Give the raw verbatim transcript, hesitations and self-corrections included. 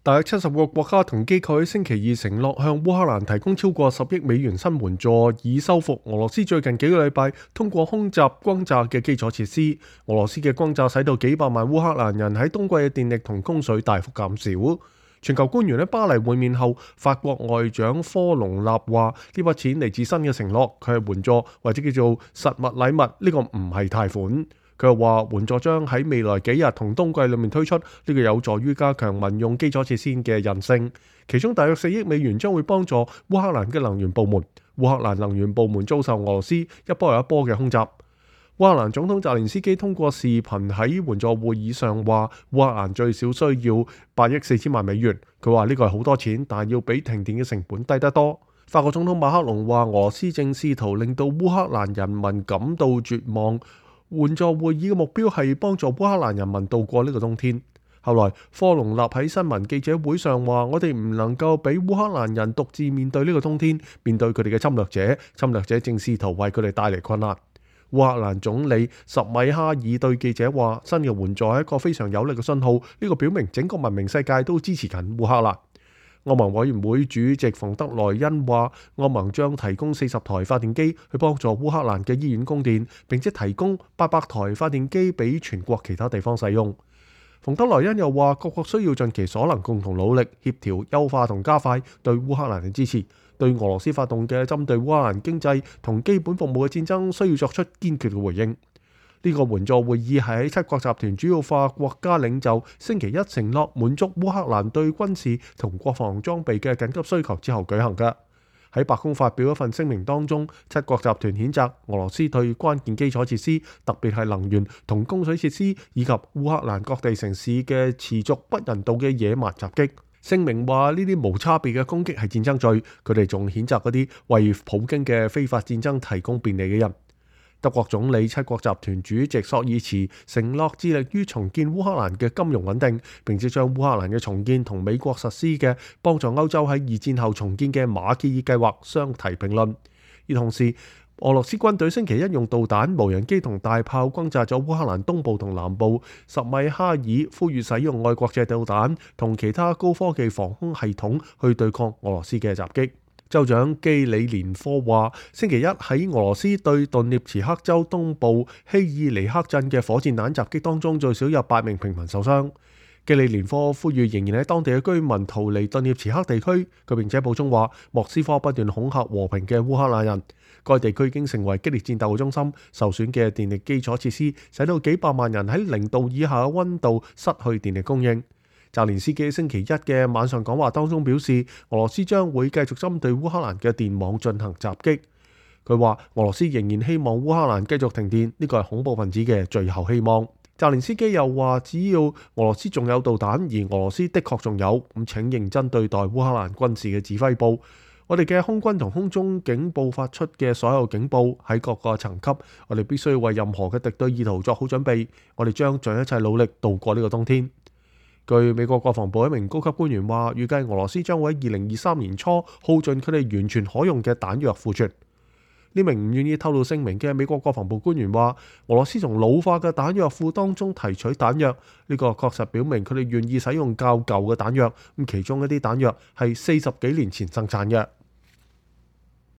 大約七十個國家同機構喺星期二承諾向烏克蘭提供超過十億美元新援助，以修復俄羅斯最近幾個禮拜通過空襲轟炸嘅基礎設施。俄羅斯嘅轟炸使到幾百萬烏克蘭人喺冬季嘅電力同供水大幅減少。全球官員喺巴黎會面後，法國外長科隆納話：呢筆錢嚟自新嘅承諾，佢係援助或者叫做實物禮物，呢個唔係貸款。佢又話援助將喺未來幾日同冬季裏面推出，呢個有助於加強民用基礎設施嘅韌性。其中大約四億美元將會幫助烏克蘭嘅能源部門。烏克蘭能源部門遭受俄羅斯一波又一波嘅空襲。烏克蘭總統澤連斯基通過視頻喺援助會議上話，烏克蘭最少需要八億四千萬美元。佢話呢個係好多錢，但係要比停電嘅成本低得多。法國總統馬克龍話，俄羅斯正試圖令到烏克蘭人民感到絕望。援助會議嘅目標係幫助烏克蘭人民度過呢個冬天。後來科隆納喺新聞記者會上話：我哋唔能夠俾烏克蘭人獨自面對呢個冬天，面對佢哋嘅侵略者。侵略者正試圖為佢哋帶嚟困難。烏克蘭總理什米哈爾對記者話：新嘅援助係一個非常有力嘅信號，呢個表明整個文明世界都支持緊烏克蘭。歐盟委員會主席馮德萊恩話：歐盟將提供四十台發電機去幫助烏克蘭嘅醫院供電，並且提供八百台發電機俾全國其他地方使用。馮德萊恩又話：各國需要盡其所能，共同努力協調、優化同加快對烏克蘭嘅支持。對俄羅斯發動嘅針對烏克蘭經濟同基本服務嘅戰爭，需要作出堅決嘅回應。呢個援助會議係喺七國集團主要化國家領袖星期一承諾滿足烏克蘭對軍事同國防裝備嘅緊急需求之後舉行嘅。喺白宮發表一份聲明當中，七國集團譴責俄羅斯對關鍵基礎設施，特別係能源同供水設施以及烏克蘭各地城市嘅持續不人道嘅野蠻襲擊。聲明話呢啲無差別嘅攻擊係戰爭罪，佢哋仲譴責嗰啲為普京嘅非法戰爭提供便利嘅人。德國總理、七國集團主席朔爾茨承諾致力於重建烏克蘭嘅金融穩定，並且將烏克蘭嘅重建同美國實施嘅幫助歐洲喺二戰後重建嘅馬歇爾計劃相提並論。而同時，俄羅斯軍隊星期一用導彈、無人機同大炮轟炸咗烏克蘭東部同南部。什米哈爾呼籲使用愛國者導彈同其他高科技防空系統去對抗俄羅斯嘅襲擊。州長基里連科話：星期一喺俄羅斯對頓涅茨克州東部希爾尼克鎮嘅火箭彈襲擊當中，最少有八名平民受傷。基里連科呼籲仍然喺當地嘅居民逃離頓涅茨克地區。佢並且補充話：莫斯科不斷恐嚇和平嘅烏克蘭人。該地區已經成為激烈戰鬥嘅中心，受損嘅電力基礎設施使到幾百萬人喺零度以下嘅溫度失去電力供應。澤連斯基星期一嘅晚上講話當中表示，俄羅斯將會繼續針對烏克蘭嘅電網進行襲擊。佢話俄羅斯仍然希望烏克蘭繼續停電，呢個係恐怖分子嘅最後希望。澤連斯基又話，只要俄羅斯仲有導彈，而俄羅斯的確仲有，咁請認真對待烏克蘭軍事嘅指揮部。我哋嘅空軍同空中警報發出嘅所有警報喺各個層級，我哋必須為任何嘅敵對意圖作好準備。我哋將盡一切努力度過呢個冬天。據美國國防部一名高級官員話，預計俄羅斯將會喺二零二三年初耗盡佢哋完全可用嘅彈藥庫存。呢名唔願意透露姓名嘅美國國防部官員話，俄羅斯從老化嘅彈藥庫當中提取彈藥，呢個確實表明佢哋願意使用較舊嘅彈藥，咁其中一啲彈藥係四十幾年前生產嘅。